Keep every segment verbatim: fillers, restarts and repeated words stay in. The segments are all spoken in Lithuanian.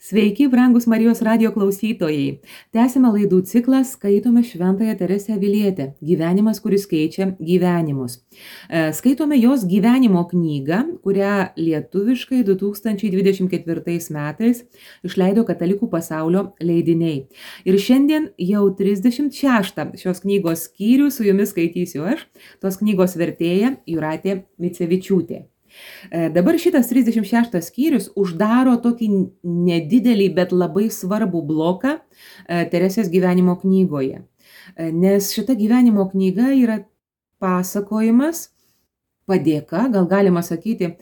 Sveiki, brangus Marijos radijo klausytojai. Tęsime laidų ciklą Skaitome Šventąją Teresę Avilietę. Gyvenimas, kuris keičia gyvenimus. Skaitome jos gyvenimo knygą, kurią lietuviškai du tūkstančiai dvidešimt ketvirtais metais išleido Katalikų pasaulio leidiniai. Ir šiandien jau trisdešimt šeštą šios knygos skyrių su jumis skaitysiu aš, tos knygos vertėja Jūratė Micevičiūtė. Dabar šitas trisdešimt šeštas skyrius uždaro tokį nedidelį, bet labai svarbų bloką Teresės gyvenimo knygoje. Nes šita gyvenimo knyga yra pasakojimas, padėka, gal galima sakyti,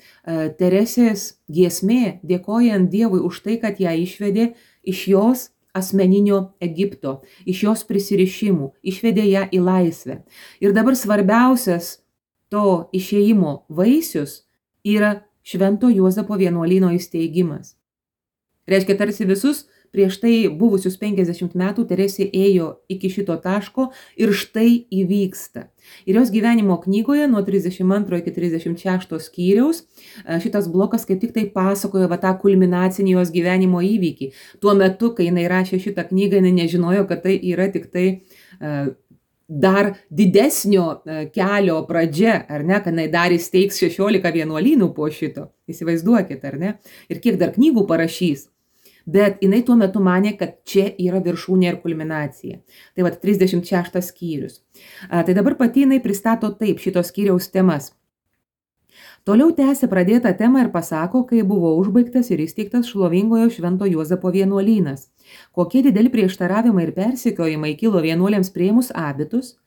Teresės giesmė, dėkojant Dievui už tai, kad ją išvedė iš jos asmeninio Egipto, iš jos prisirišimų, išvedė ją į laisvę. Ir dabar svarbiausias to išėjimo vaisius yra Švento Juozapo vienuolyno įsteigimas. Reiškia, tarsi visus prieš tai buvusius penkiasdešimt metų Teresė ėjo iki šito taško ir štai įvyksta. Ir jos gyvenimo knygoje nuo trisdešimt antro iki trisdešimt šešto skyriaus šitas blokas kaip tik tai pasakoja va tą kulminacinį jos gyvenimo įvykį. Tuo metu, kai jinai rašė šitą knygą, jinai nežinojo, kad tai yra tik tai uh, dar didesnio kelio pradžia, ar ne, kad jinai dar įsteigs šešiolika vienuolynų po šito. Įsivaizduokit, ar ne? Ir kiek dar knygų parašys. Bet jinai tuo metu manė, kad čia yra viršūnė ir kulminacija. Tai va, trisdešimt šeštas skyrius. A, tai dabar pati jinai pristato taip šitos skyriaus temas. Toliau tęsia pradėtą temą ir pasako, kai buvo užbaigtas ir įsteigtas šlovingojo Švento Juozapo vienuolynas. Kokie dideli prieštaravimai ir persekiojimai kilo vienuoliams priėmus abitus,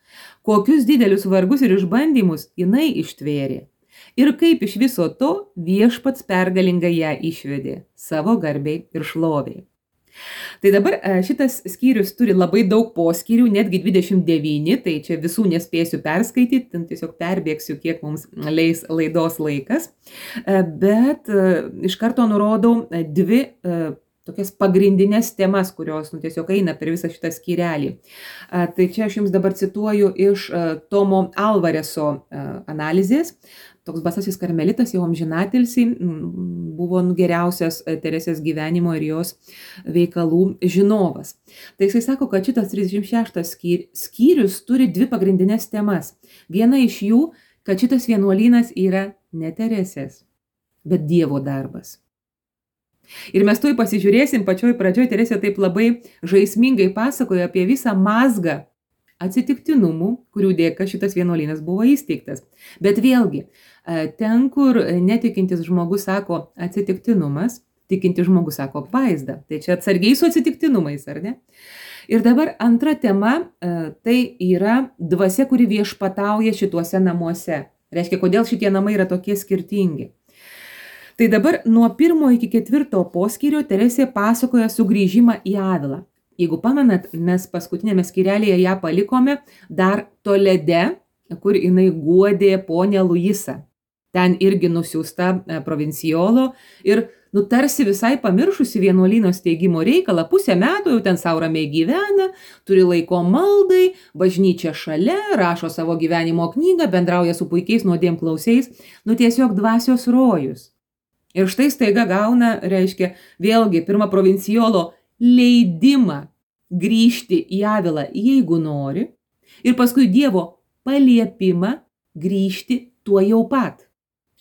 kokius didelius vargus ir išbandymus jinai ištvėrė. Ir kaip iš viso to viešpats pergalingai ją išvedė savo garbei ir šloviai. Tai dabar šitas skyrius turi labai daug poskyrių, netgi dvidešimt devyni, tai čia visų nespėsiu perskaityti, tiesiog perbėgsiu, kiek mums leis laidos laikas. Bet iš karto nurodau dvi tokias pagrindinės temas, kurios nu, tiesiog eina per visą šitą skyrelį. Tai čia aš jums dabar cituoju iš Tomo Alvareso analizės. Toks basasis karmelitas, jau amžinatilsį, buvo geriausias Teresės gyvenimo ir jos veikalų žinovas. Tai jisai sako, kad šitas trisdešimt šeštas skyrius turi dvi pagrindinės temas. Viena iš jų, kad šitas vienuolynas yra ne Teresės, bet Dievo darbas. Ir mes tuoj pasižiūrėsim, pačioj pradžioj Teresė taip labai žaismingai pasakoja apie visą mazgą atsitiktinumų, kurių dėka šitas vienuolynas buvo įsteigtas. Bet vėlgi, ten, kur netikintis žmogus sako atsitiktinumas, tikintis žmogus sako apvaizda. Tai čia atsargiai su atsitiktinumais, ar ne? Ir dabar antra tema, tai yra dvasia, kuri viešpatauja šituose namuose. Reiškia, kodėl šitie namai yra tokie skirtingi. Tai dabar nuo pirmo iki ketvirto poskyrio Teresė pasakoja sugrįžimą į Avilą. Jeigu pamenat, mes paskutinėme skyrelėje ją palikome dar Tolede, kur jinai guodė ponę Luisą. Ten irgi nusiųsta provincijolo ir nu, tarsi visai pamiršusi vienuolyno steigimo reikalą, pusę metų jau ten sau ramiai gyvena, turi laiko maldai, bažnyčia šalia, rašo savo gyvenimo knygą, bendrauja su puikiais nuodėmklausiais, nu tiesiog dvasios rojus. Ir štai staiga gauna, reiškia, vėlgi pirmą provincijolo leidimą grįžti į Avilą, jeigu nori, ir paskui Dievo paliepimą grįžti tuo jau pat.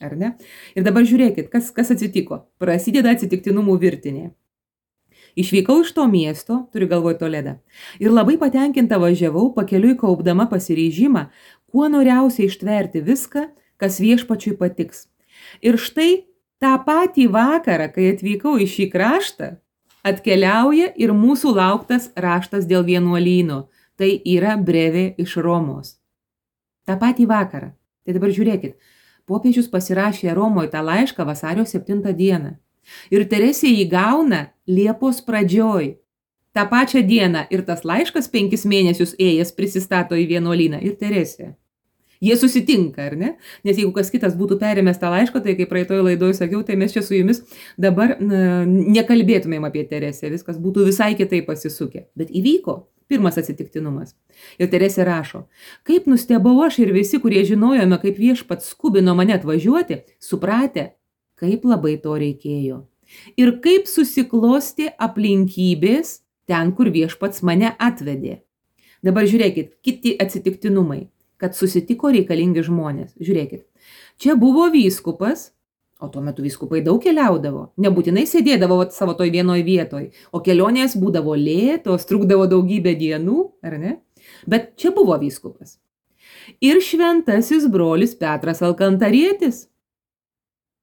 Ar ne? Ir dabar žiūrėkit, kas, kas atsitiko. Prasideda atsitiktinumų virtinė. Išvykau iš to miesto, turiu galvoj Toledą, ir labai patenkinta važiavau, pakeliui kaupdama pasiryžimą, kuo noriausiai ištverti viską, kas viešpačiui patiks. Ir štai tą patį vakarą, kai atvykau į šį kraštą, atkeliauja ir mūsų lauktas raštas dėl vienuolyno. Tai yra brevė iš Romos. Ta patį vakarą. Tai dabar žiūrėkit. Popiežius pasirašė Romoje tą laišką vasario septintą dieną. Ir Teresė jį gauna Liepos pradžioj. Ta pačią dieną ir tas laiškas penkis mėnesius ėjęs prisistato į vienuolyną ir Teresė. Jie susitinka, ar ne? Nes jeigu kas kitas būtų perėmęs tą laišką, tai kaip praeitoje laidoje sakiau, tai mes čia su jumis dabar na, nekalbėtumėm apie Teresę, viskas būtų visai kitaip pasisukę. Bet įvyko pirmas atsitiktinumas. Ir Teresė rašo, kaip nustebau aš ir visi, kurie žinojome, kaip viešpats skubino mane atvažiuoti, supratę, kaip labai to reikėjo. ir kaip susiklosti aplinkybės ten, kur viešpats mane atvedė. Dabar žiūrėkit, kiti atsitiktinumai, kad susitiko reikalingi žmonės. Žiūrėkit, čia buvo vyskupas, o tuo metu vyskupai daug keliaudavo, nebūtinai sėdėdavo savo toj vienoj vietoj, o kelionės būdavo lėtos, trukdavo daugybę dienų, ar ne? Bet čia buvo vyskupas. Ir šventasis brolis Petras Alkantarietis.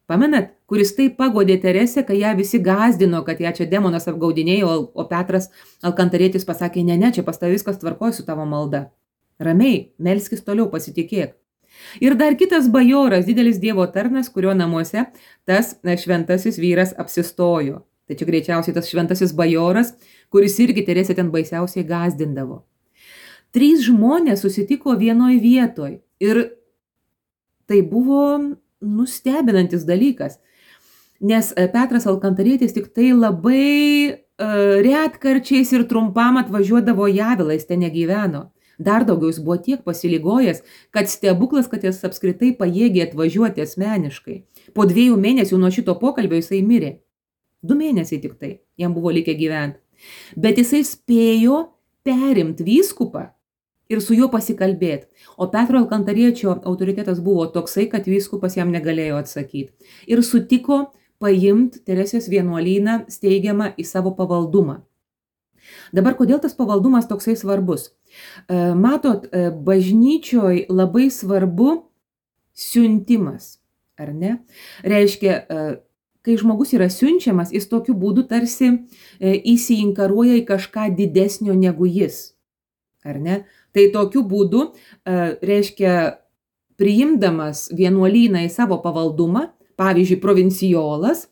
Pamenat, kuris taip pagodė Teresę, kai ją visi gazdino, kad ją čia demonas apgaudinėjo, o Petras Alkantarietis pasakė, ne, ne, čia pas tavai viskas tvarkoja su tavo malda. Ramiai, melskis toliau, pasitikėk. Ir dar kitas bajoras, didelis Dievo tarnas, kurio namuose tas šventasis vyras apsistojo. Tai čia greičiausiai tas šventasis bajoras, kuris irgi Teresę ten baisiausiai gazdindavo. Trys žmonės susitiko vienoj vietoj ir tai buvo nustebinantis dalykas, nes Petras Alkantarietis tik tai labai uh, retkarčiais ir trumpam atvažiuodavo į Avilą, jis ten negyveno. Dar daugiau jis buvo tiek pasiligojęs, kad stebuklas, kad jis apskritai pajėgė atvažiuoti asmeniškai. Po dviejų mėnesių nuo šito pokalbio jisai mirė. Du mėnesiai tik tai, jam buvo likę gyventi. Bet jisai spėjo perimti vyskupą ir su juo pasikalbėti. O Petro Alkantariečio autoritetas buvo toksai, kad vyskupas jam negalėjo atsakyti. Ir sutiko paimti Teresės vienuolyną steigiamą į savo pavaldumą. Dabar kodėl tas pavaldumas toksai svarbus? Matot, bažnyčioj labai svarbu siuntimas, ar ne? Reiškia, kai žmogus yra siunčiamas, jis tokiu būdu tarsi įsiinkaruoja į kažką didesnio negu jis, ar ne? Tai tokiu būdu, reiškia, priimdamas vienuolyną į savo pavaldumą, pavyzdžiui, provincijolas,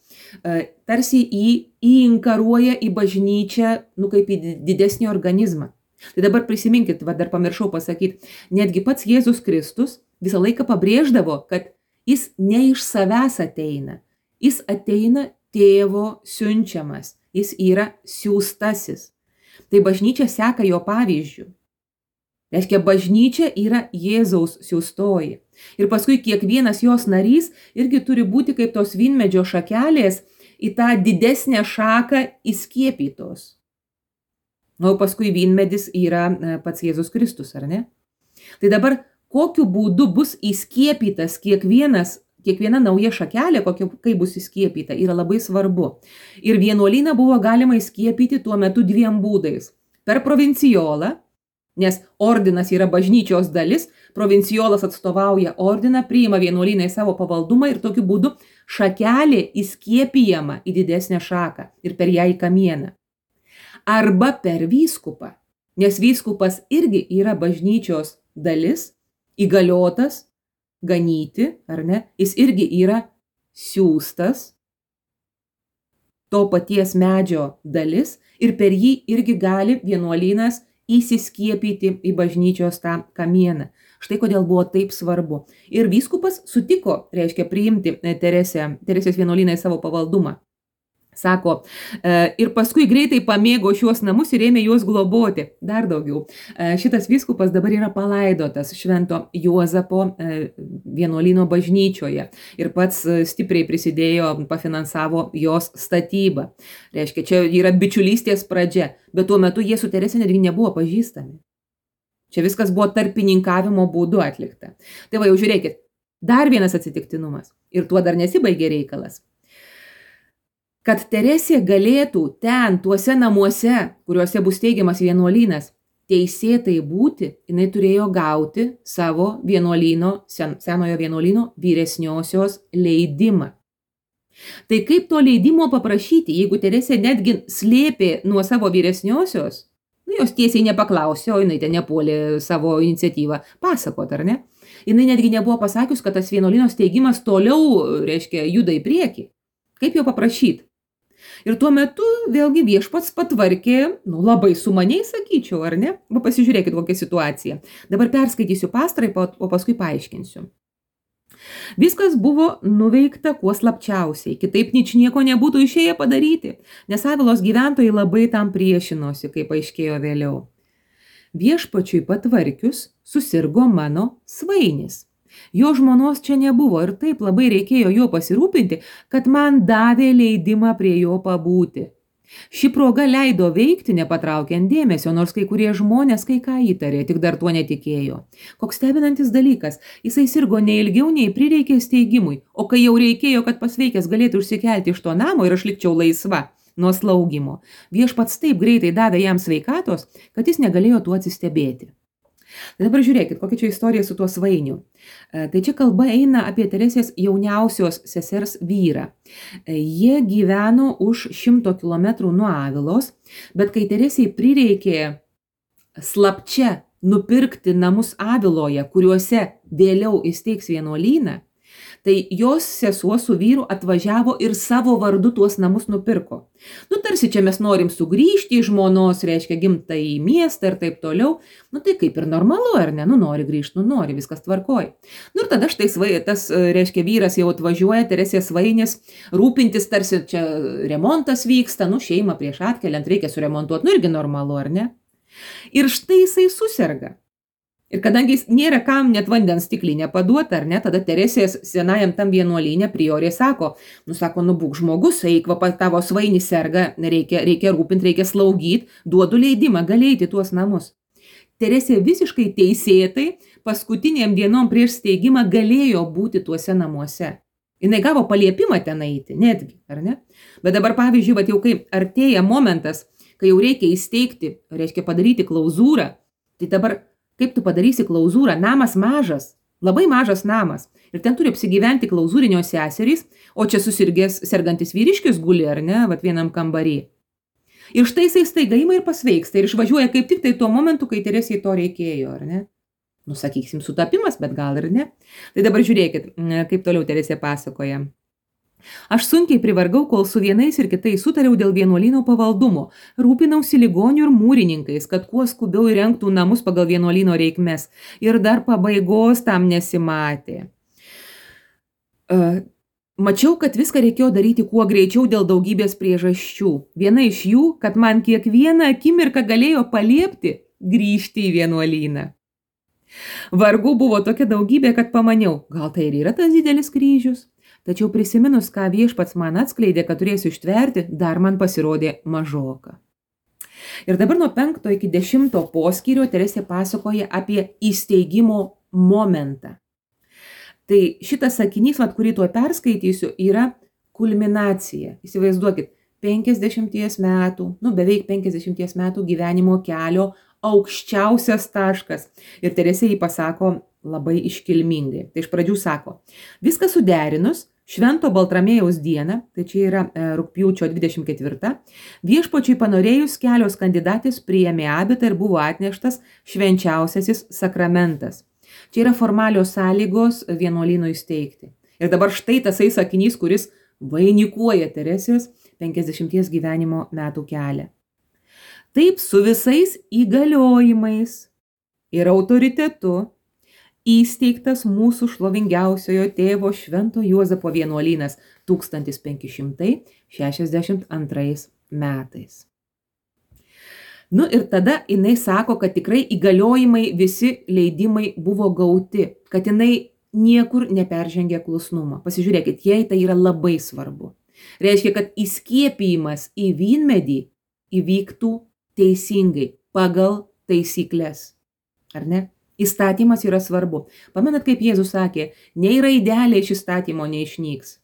tarsi į, įinkaruoja į bažnyčią, nu, kaip į didesnį organizmą. Tai dabar prisiminkit, va, dar pamiršau pasakyti, netgi pats Jėzus Kristus visą laiką pabrėždavo, kad jis ne iš savęs ateina, jis ateina tėvo siunčiamas, jis yra siųstasis. Tai bažnyčia seka jo pavyzdžių. Reiškia, bažnyčia yra Jėzaus siųstoji. Ir paskui kiekvienas jos narys irgi turi būti kaip tos vynmedžio šakelės į tą didesnę šaką įskiepytos. Na, o paskui vynmedis yra pats Jėzus Kristus, ar ne? Tai dabar kokiu būdu bus įskiepytas kiekvienas, kiekviena nauja šakelė, kokia, kaip bus įskiepyta, yra labai svarbu. Ir vienuolyną buvo galima įskiepyti tuo metu dviem būdais. Per provincijolą, nes ordinas yra bažnyčios dalis, provincijolas atstovauja ordiną, priima vienuolyną į savo pavaldumą ir tokiu būdu šakelė įskiepijama į didesnę šaką ir per ją į kamieną. Arba per vyskupą, nes vyskupas irgi yra bažnyčios dalis, įgaliotas ganyti, ar ne? Jis irgi yra siųstas, to paties medžio dalis ir per jį irgi gali vienuolynas įsiskiepyti į bažnyčios tą kamieną. Štai kodėl buvo taip svarbu. Ir vyskupas sutiko, reiškia, priimti Teresę, Teresės vienuolyną į savo pavaldumą. Sako, ir paskui greitai pamėgo šiuos namus ir ėmė juos globoti. Dar daugiau. Šitas vyskupas dabar yra palaidotas Švento Juozapo vienuolyno bažnyčioje ir pats stipriai prisidėjo, pafinansavo jos statybą. Reiškia, čia yra bičiulystės pradžia, bet tuo metu jie su Terese netgi nebuvo pažįstami. Čia viskas buvo tarpininkavimo būdu atlikta. Tai va, jau žiūrėkit, dar vienas atsitiktinumas. Ir tuo dar nesibaigė reikalas. Kad Teresė galėtų ten, tuose namuose, kuriuose bus teigiamas vienuolynas, teisėtai būti, jinai turėjo gauti savo vienuolyno, sen, senojo vienuolyno vyresniosios leidimą. Tai kaip to leidimo paprašyti, jeigu Teresė netgi slėpė nuo savo vyresniosios, nu, jos tiesiai nepaklausė, o jinai ten nepuolė savo iniciatyvą pasakot, ar ne? Jinai netgi nebuvo pasakius, kad tas vienuolyno steigimas toliau, reiškia, juda į priekį. Kaip jo paprašyti? Ir tuo metu vėlgi viešpats patvarkė, nu, labai sumaniai sakyčiau, ar ne? Va, pasižiūrėkit, kokia situacija. Dabar perskaitysiu pastraipą, o paskui paaiškinsiu. Viskas buvo nuveikta kuo slapčiausiai, kitaip ničnieko nebūtų išėję padaryti, nes Avilos gyventojai labai tam priešinosi, kaip aiškėjo vėliau. Viešpačiui patvarkius susirgo mano svainis. Jo žmonos čia nebuvo ir taip labai reikėjo juo pasirūpinti, kad man davė leidimą prie jo pabūti. Ši proga leido veikti nepatraukiant dėmesio, nors kai kurie žmonės kai ką įtarė, tik dar tuo netikėjo. Koks stebinantis dalykas, jisai sirgo ne ilgiau nei prireikė steigimui, o kai jau reikėjo, kad pasveikęs galėtų užsikelti iš to namo ir aš likčiau laisva nuo slaugimo, viešpats taip greitai davė jam sveikatos, kad jis negalėjo tuo atsistebėti. Dabar žiūrėkit, kokia čia istorija su tuo svainiu. Tai čia kalba eina apie Teresės jauniausios sesers vyrą. Jie gyveno už šimto kilometrų nuo Avilos, bet kai Teresei prireikė slapčia nupirkti namus Aviloje, kuriuose vėliau įsteigs vienuolyną, tai jos sesuo su vyru atvažiavo ir savo vardu tuos namus nupirko. Nu, tarsi čia mes norim sugrįžti į žmonos, reiškia, gimtąjį miestą ir taip toliau. Nu, tai kaip ir normalu, ar ne? Nu, nori grįžti, nu, nori, viskas tvarkoj. Nu, ir tada štai svai, tas, reiškia, vyras jau atvažiuoja, Teresės svainis, rūpintis, tarsi čia remontas vyksta, nu, šeimą prieš atkeliant reikia suremontuoti, nu, irgi normalu, ar ne? Ir štai jisai suserga. Ir kadangi jis nėra kam net vandens stiklinę paduoti, ar ne, tada Teresės senajam tam vienuolyne priorė sako, nu sako, nu būk žmogus, eik, va, tavo svainis serga, reikia, reikia rūpinti, reikia slaugyti, duodu leidimą, gali eiti tuos namus. Teresė visiškai teisėtai paskutiniam dienom prieš steigimą galėjo būti tuose namuose. Jinai gavo paliepimą ten eiti, netgi, ar ne? Bet dabar, pavyzdžiui, va, jau kai artėja momentas, kai jau reikia įsteigti, reiškia padaryti klauzūrą, tai dabar kaip tu padarysi klauzūrą? Namas mažas, labai mažas namas. Ir ten turi apsigyventi klauzūrinio seserys, o čia susirgęs sergantis vyriškis guli, ar ne, vat vienam kambarį. Ir štai jisai staiga ima ir pasveiksta ir išvažiuoja kaip tik tai tuo momentu, kai Teresei to reikėjo, ar ne? Nu, sakysim, sutapimas, bet gal ir ne. Tai dabar žiūrėkit, kaip toliau Teresė pasakoja. Aš sunkiai privargau, kol su vienais ir kitais sutariau dėl vienuolyno pavaldumo. Rūpinausi ligonių ir mūrininkais, kad kuo skubiau įrengtų namus pagal vienuolyno reikmes. Ir dar pabaigos tam nesimatė. Uh, mačiau, kad viską reikėjo daryti kuo greičiau dėl daugybės priežasčių. Viena iš jų, kad man kiekvieną akimirką galėjo paliepti grįžti į vienuolyną. Vargų buvo tokia daugybė, kad pamaniau, gal tai ir yra tas didelis kryžius. Tačiau prisiminus, ką viešpats man atskleidė, kad turėsiu ištverti, dar man pasirodė mažoka. Ir dabar nuo penkto iki dešimto poskyrio Teresė pasakoja apie įsteigimo momentą. Tai šitas sakinys, vat, kurį tuo perskaitysiu, yra kulminacija. Įsivaizduokit, penkiasdešimties metų, nu beveik penkiasdešimties metų gyvenimo kelio aukščiausias taškas. Ir Teresė jį pasako labai iškilmingai. Tai iš pradžių sako, viską suderinus, Švento Baltramiejaus dieną, tai čia yra e, rugpjūčio dvidešimt ketvirta, viešpačiui panorėjus kelios kandidatės priėmė abitą ir buvo atneštas švenčiausiasis sakramentas. Čia yra formalios sąlygos vienuolynui įsteigti. Ir dabar štai tasai sakinys, kuris vainikuoja Teresės penkiasdešimties gyvenimo metų kelią. Taip su visais įgaliojimais ir autoritetu įsteigtas mūsų šlovingiausiojo tėvo Švento Juozapo vienuolynas tūkstantis penki šimtai šešiasdešimt antrais metais. Nu ir tada jinai sako, kad tikrai įgaliojimai, visi leidimai buvo gauti, kad jinai niekur neperžengė klusnumą. Pasižiūrėkit, jai tai yra labai svarbu. Reiškia, kad įskiepijimas į vynmedį įvyktų teisingai, pagal taisyklės. Ar ne? Įstatymas yra svarbu. Pamenat, kaip Jėzus sakė, nei raidelė iš įstatymo neišnyks.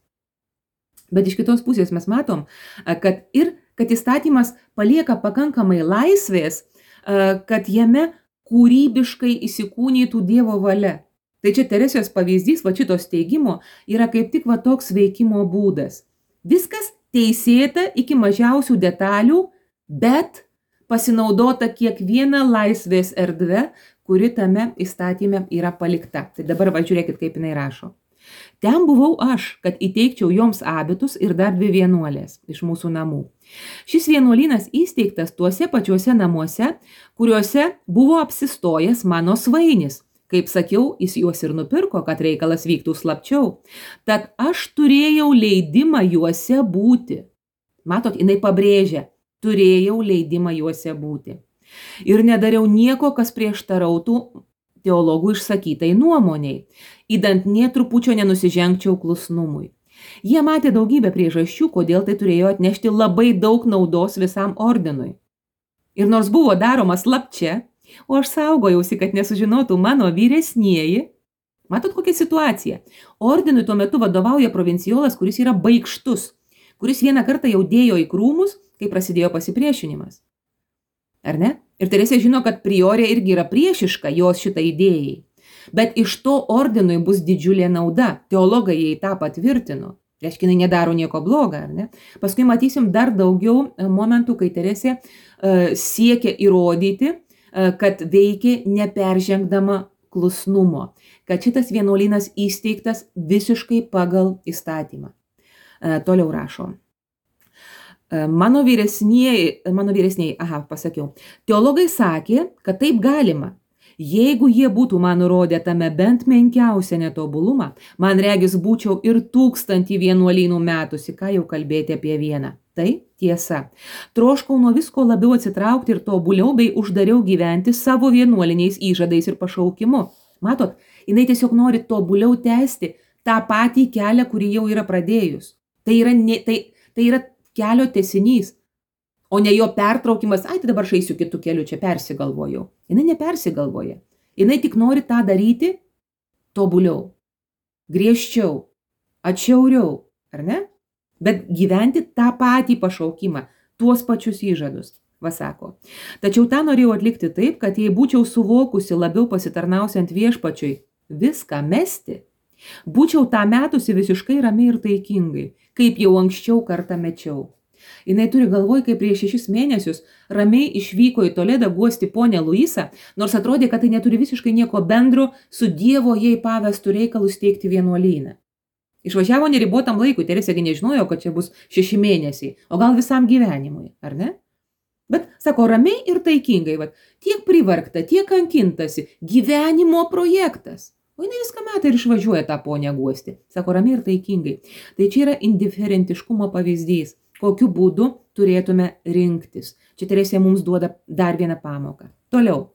Bet iš kitos pusės mes matom, kad ir kad įstatymas palieka pakankamai laisvės, kad jame kūrybiškai įsikūnytų Dievo valia. Tai čia Teresės pavyzdys, va šito steigimo, yra kaip tik va toks veikimo būdas. Viskas teisėta iki mažiausių detalių, bet pasinaudota kiekviena laisvės erdve, kuri tame įstatyme yra palikta. Tai dabar va žiūrėkit, kaip jinai rašo. Ten buvau aš, kad įteikčiau joms abitus ir dar dvi vienuolės iš mūsų namų. Šis vienuolynas įsteigtas tuose pačiuose namuose, kuriuose buvo apsistojęs mano svainis. Kaip sakiau, jis juos ir nupirko, kad reikalas vyktų slapčiau. Tad aš turėjau leidimą juose būti. Matot, jinai pabrėžia, turėjau leidimą juose būti. Ir nedariau nieko, kas prieštarautų teologų išsakytai nuomoniai, įdant nė trupučio nenusižengčiau klusnumui. Jie matė daugybę priežasčių, kodėl tai turėjo atnešti labai daug naudos visam ordinui. Ir nors buvo daroma slapčia, o aš saugojausi, kad nesužinotų mano vyresnieji, matot kokia situacija. Ordinui tuo metu vadovauja provincijolas, kuris yra baikštus, kuris vieną kartą jau dėjo į krūmus, kai prasidėjo pasipriešinimas. Ar ne? Ir Teresė žino, kad priorė irgi yra priešiška jos šitai idėjai. Bet iš to ordinui bus didžiulė nauda. Teologai jai tą patvirtino. Reiškia, jinai nedaro nieko blogo, ar ne? Paskui matysim dar daugiau momentų, kai Teresė uh, siekia įrodyti, uh, kad veikia neperžengdama klusnumo, kad šitas vienuolynas įsteigtas visiškai pagal įstatymą. Uh, toliau rašo. Mano vyresnieji, mano vyresnieji, aha, pasakiau, teologai sakė, kad taip galima. Jeigu jie būtų man nurodę tame bent menkiausią netobulumą, man regis būčiau ir tūkstantį vienuolynų metusi, ką jau kalbėti apie vieną. Tai tiesa. Troškau nuo visko labiau atsitraukti ir tobuliau bei uždariau gyventi savo vienuoliniais įžadais ir pašaukimu. Matot, jinai tiesiog nori tobuliau tęsti tą patį kelią, kurį jau yra pradėjus. Tai yra, ne, tai, tai yra kelio tęsinys, o ne jo pertraukimas, ai, tai dabar aš eisiu kitų kelių, čia persigalvojau. Jinai nepersigalvoja. Jinai tik nori tą daryti tobuliau, griežčiau, atšiauriau, ar ne? Bet gyventi tą patį pašaukimą, tuos pačius įžadus, va sako. Tačiau tą norėjau atlikti taip, kad jei būčiau suvokusi labiau pasitarnausiant viešpačiui viską mesti, būčiau tą metusi visiškai ramiai ir taikingai, kaip jau anksčiau kartą mečiau. Jinai turi galvoj, kai prieš šešis mėnesius ramiai išvyko į Toledą guosti ponę Luisą, nors atrodė, kad tai neturi visiškai nieko bendro su Dievo jai pavestų reikalų steigti vienuolyną. Išvažiavo neribotam laikui, Teresėgi nežinojo, kad čia bus šeši mėnesiai, o gal visam gyvenimui, ar ne? Bet, sako, ramiai ir taikingai, va, tiek privargta, tiek kankintasi, gyvenimo projektas. O jinai viską metą ir išvažiuoja tą ponę guosti. Sako, ramiai ir taikingai. Tai čia yra indiferentiškumo pavyzdys, kokiu būdu turėtume rinktis. Čia Teresė mums duoda dar vieną pamoką. Toliau.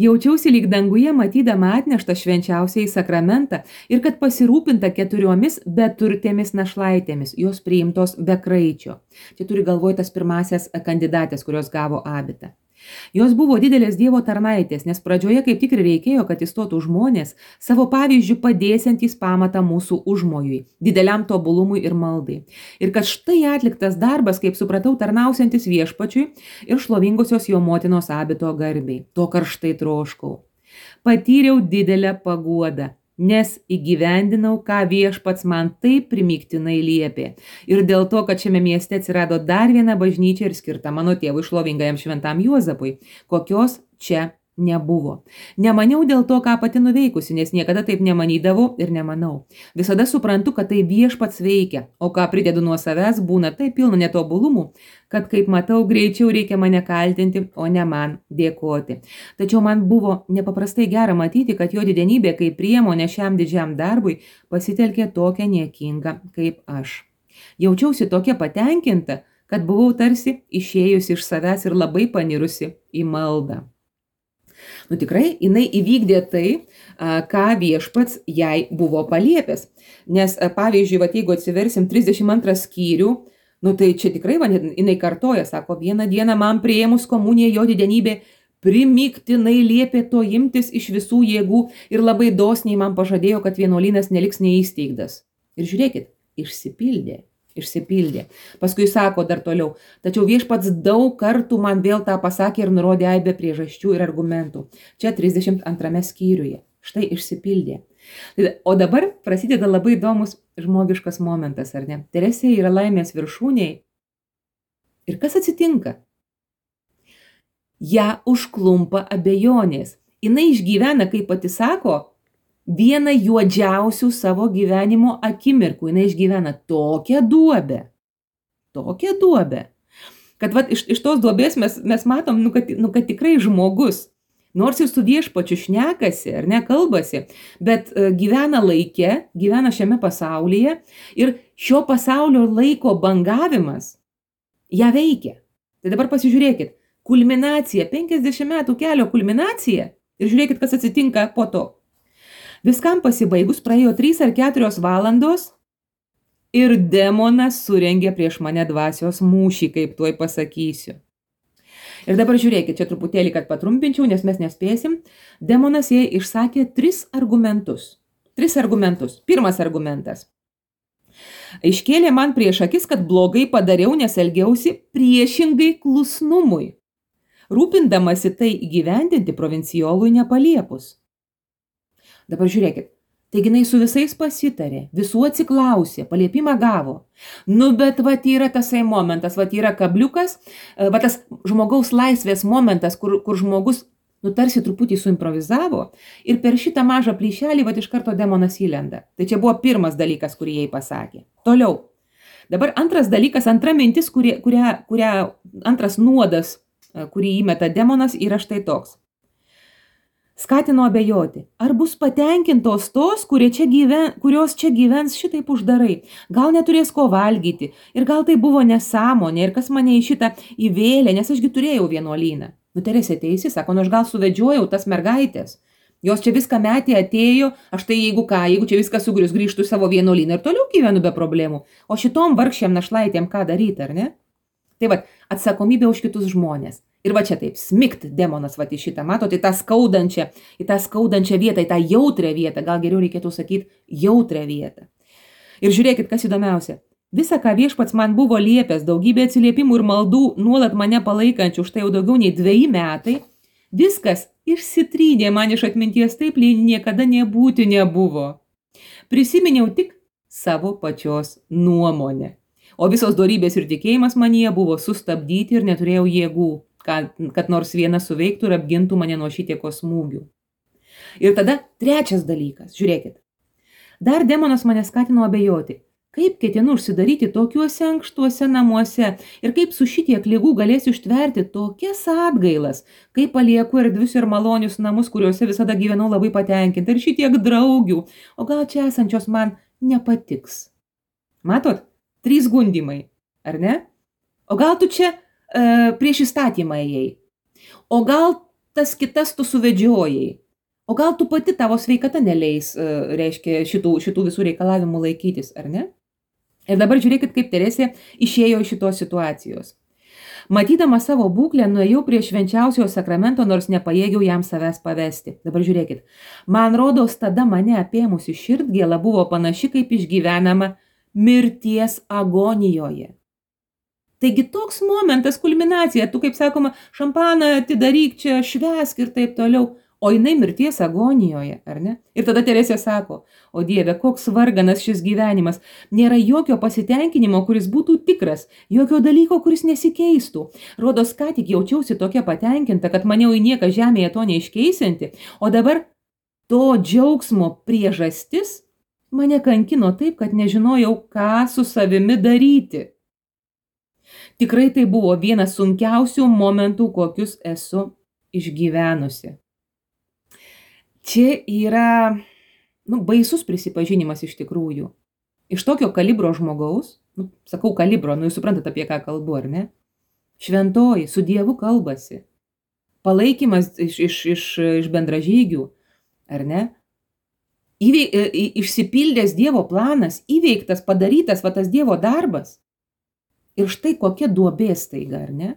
Jaučiausi lyg danguje matydama atneštą švenčiausiai sakramentą ir kad pasirūpinta keturiomis beturtėmis našlaitėmis, jos priimtos be kraičio. Čia turi galvoj tas pirmasias kandidatės, kurios gavo abitą. Jos buvo didelės Dievo tarnaitės, nes pradžioje kaip tik ir reikėjo, kad įstotų žmonės savo pavyzdžių padėsiantys pamatą mūsų užmojui, dideliam tobulumui ir maldai. Ir kad štai atliktas darbas, kaip supratau, tarnausiantis viešpačiui ir šlovingosios jo motinos abito garbei. To karštai troškau. Patyriau didelę paguodą, nes įgyvendinau, ką viešpats man taip primygtinai liepė. Ir dėl to, kad šiame mieste atsirado dar viena bažnyčia ir skirta mano tėvui šlovingajam šventam Juozapui, kokios čia nebuvo. Nemaniau dėl to, ką pati nuveikusi, nes niekada taip nemanydavau ir nemanau. Visada suprantu, kad tai viešpats veikia, o ką pridedu nuo savęs, būna taip pilna netobulumų, kad kaip matau, greičiau reikia mane kaltinti, o ne man dėkoti. Tačiau man buvo nepaprastai gera matyti, kad jo didenybė kaip priemonė šiam didžiam darbui pasitelkė tokią niekingą kaip aš. Jaučiausi tokia patenkinta, kad buvau tarsi išėjusi iš savęs ir labai panirusi į maldą. Nu tikrai, jinai įvykdė tai, ką viešpats jai buvo paliepęs. Nes, pavyzdžiui, va, jeigu atsiversim trisdešimt antrą skyrių, nu tai čia tikrai, va, jinai kartoja, sako, vieną dieną man priėmus komuniją jo didenybė primygtinai liepė to imtis iš visų jėgų ir labai dosniai man pažadėjo, kad vienuolynas neliks neįsteigtas. Ir žiūrėkit, išsipildė. Išsipildė. Paskui sako dar toliau, tačiau viešpats daug kartų man vėl tą pasakė ir nurodė aibę priežasčių ir argumentų. Čia trisdešimt antrame skyriuje. Štai išsipildė. O dabar prasideda labai įdomus žmogiškas momentas, ar ne? Teresė yra laimės viršūniai. Ir kas atsitinka? Ja užklumpa abejonės. Jinai išgyvena, kaip pati sako, vieną juodžiausių savo gyvenimo akimirkų. Jinai išgyvena tokią duobę. Tokią duobę. Kad vat, iš, iš tos duobės mes, mes matom, nu kad, nu, kad tikrai žmogus, nors ir su viešpačiu šnekasi, ar ne, kalbasi, bet uh, gyvena laike, gyvena šiame pasaulyje ir šio pasaulio laiko bangavimas ją veikia. Tai dabar pasižiūrėkit, kulminacija, penkiasdešimt metų kelio kulminacija Ir žiūrėkit, kas atsitinka po to. Viskam pasibaigus praėjo trys ar keturios valandos ir demonas surengė prieš mane dvasios mūšį, kaip tuoj pasakysiu. Ir dabar žiūrėkit, čia truputėlį, kad patrumpinčiau, nes mes nespėsim. Demonas jai išsakė tris argumentus. Tris argumentus. Pirmas argumentas. Iškėlė man prieš akis, kad blogai padariau, nes elgiausi priešingai klusnumui, rūpindamasi tai įgyvendinti provincijolui nepaliepus. Dabar žiūrėkit, taigi jinai su visais pasitarė, visų atsiklausė, paliepimą gavo. Nu, bet vat yra tasai momentas, vat yra kabliukas, vat tas žmogaus laisvės momentas, kur, kur žmogus, nu, tarsi truputį suimprovizavo ir per šitą mažą plyšelį, vat iš karto demonas įlenda. Tai čia buvo pirmas dalykas, kurį jai pasakė. Toliau. Dabar antras dalykas, antra mintis, kurie, kurią, kurią, antras nuodas, kurį įmeta demonas, yra štai toks. Skatino abejoti, ar bus patenkintos tos, kurie čia gyven, kurios čia gyvens šitaip uždarai. Gal neturės ko valgyti ir gal tai buvo nesąmonė ir kas mane į šitą įvėlė, nes ašgi turėjau vienuolyną. Nu, Teresė teisi, sako, nu aš gal suvedžiojau tas mergaitės. Jos čia viską metė, atėjo, aš tai jeigu ką, jeigu čia viskas sugrius, grįžtų į savo vienuolyną ir toliau gyvenu be problemų. O šitom vargšiam našlaitėm ką daryti, ar ne? Tai va, atsakomybė už kitus žmonės. Ir va čia taip, smikt demonas va į šitą, matote, į tą skaudančią, į tą skaudančią vietą, į tą jautrią vietą, gal geriau reikėtų sakyti jautrią vietą. Ir žiūrėkit, kas įdomiausia. Visa, ką viešpats man buvo liepęs, daugybė atsiliepimų ir maldų, nuolat mane palaikančių, štai jau daugiau nei dveji metai, viskas išsitrynė man iš atminties taip, lyg niekada nebūti nebuvo. Prisiminiau tik savo pačios nuomonę. O visos dorybės ir tikėjimas manyje buvo sustabdyti ir neturėjau jėgų, kad, kad nors vienas suveiktų ir apgintų mane nuo šitiekos smūgių. Ir tada trečias dalykas, žiūrėkit. Dar demonas mane skatino abejoti. Kaip ketinu užsidaryti tokiuose ankštuose namuose ir kaip su šitiek ligų galėsiu ištverti tokias atgailas, kaip palieku erdvius ir malonius namus, kuriuose visada gyvenau labai patenkinta ir šitiek draugių, o gal čia esančios man nepatiks. Matot, trys gundimai, ar ne? O gal tu čia e, prieš įstatymą ėjai, o gal tas kitas tu suvedžiojai, o gal tu pati tavo sveikata neleis, e, reiškia, šitų, šitų visų reikalavimų laikytis, ar ne? Ir dabar žiūrėkit, kaip Teresė išėjo iš šitos situacijos. Matydama savo būklę, nuėjau prie švenčiausiojo sakramento, nors nepajėgiau jam savęs pavesti. Dabar žiūrėkit, man rodos, tada mane apėmusi širdgėla buvo panaši, kaip išgyvenama mirties agonijoje. Taigi toks momentas, kulminacija, tu, kaip sakoma, šampaną atidaryk čia, švęsk ir taip toliau. O jinai mirties agonijoje, ar ne? Ir tada Teresė sako, o Dieve, koks varganas šis gyvenimas, nėra jokio pasitenkinimo, kuris būtų tikras, jokio dalyko, kuris nesikeistų. Rodos, ką tik jaučiausi tokia patenkinta, kad maniau į nieką žemėje to neiškeisinti, o dabar to džiaugsmo priežastis mane kankino taip, kad nežinojau, ką su savimi daryti. Tikrai tai buvo vienas sunkiausių momentų, kokius esu išgyvenusi. Čia yra, nu, baisus prisipažinimas iš tikrųjų. Iš tokio kalibro žmogaus, nu, sakau kalibro, nu, jūs suprantate, apie ką kalbu, ar ne? Šventoji, su Dievu kalbasi. Palaikymas iš, iš, iš, iš bendražygių, ar ne? Įveik, išsipildęs Dievo planas, įveiktas, padarytas va tas Dievo darbas. Ir štai kokia duobė staiga, ar ne?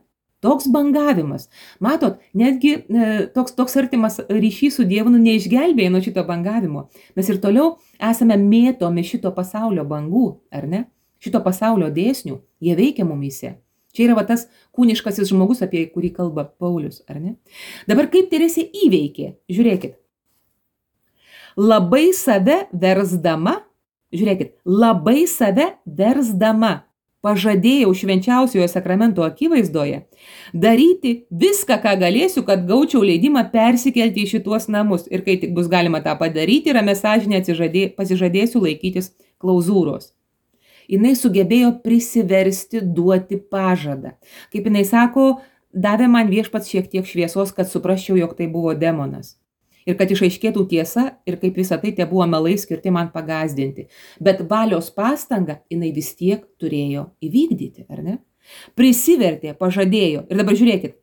Toks bangavimas. Matot, netgi e, toks, toks artimas ryšys su Dievu nu, neišgelbėja nuo šito bangavimo. Mes ir toliau esame mėtomi šito pasaulio bangų, ar ne? Šito pasaulio dėsnių, jie veikia mumyse. Čia yra va tas kūniškasis žmogus, apie kurį kalba Paulius, ar ne? Dabar kaip Teresė įveikė? Žiūrėkit. Labai save versdama, žiūrėkit, labai save versdama. Pažadėjau švenčiausiojo sakramento akivaizdoje daryti viską, ką galėsiu, kad gaučiau leidimą persikelti į šituos namus. Ir kai tik bus galima tą padaryti, ramia sąžine pasižadėsiu laikytis klauzūros. Jinai sugebėjo prisiversti duoti pažadą. Kaip jinai sako, davė man viešpats šiek tiek šviesos, kad suprasčiau, jog tai buvo demonas. Ir kad išaiškėtų tiesa ir kaip visą tai te buvo melai skirti man pagazdinti. Bet valios pastangą jinai vis tiek turėjo įvykdyti, ar ne? Prisivertė, pažadėjo. Ir dabar žiūrėkit.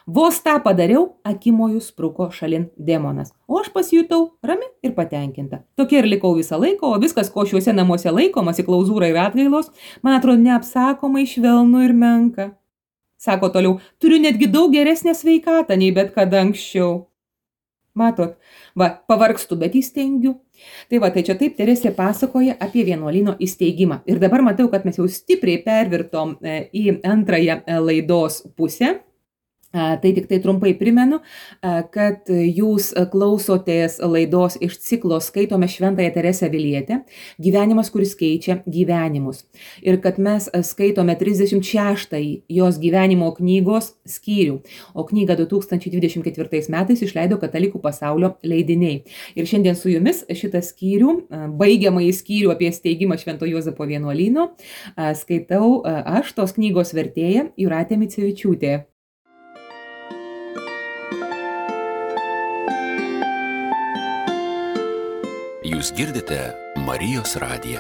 Vos tą padariau, akimojų spruko šalin demonas, o aš pasijutau rami ir patenkinta. Tokia ir likau visą laiką, o viskas, ko šiuose namuose laikomasi, klauzūra ir atgailos, man atrodo neapsakomai švelnu ir menka. Sako toliau, turiu netgi daug geresnę sveikatą nei bet kada anksčiau. Matot, va, pavargstu, bet įstengiu. Tai va, tai čia taip Teresė pasakoja apie vienuolyno įsteigimą. Ir dabar matau, kad mes jau stipriai pervirtom į antrąją laidos pusę. Tai tik tai trumpai primenu, kad jūs klausotės laidos iš ciklo Skaitome Šventąją Teresę Avilietę, gyvenimas, kuris keičia gyvenimus. Ir kad mes skaitome trisdešimt šeštąjį jos gyvenimo knygos skyrių, o knygą du tūkstančiai dvidešimt ketvirtais metais išleido Katalikų pasaulio leidiniai. Ir šiandien su jumis šitą skyrių, baigiamąjį skyrių apie steigimą Švento Juozapo vienuolyno, skaitau aš, tos knygos vertėja Jūratė Micevičiūtė. Jūs girdite Marijos radiją.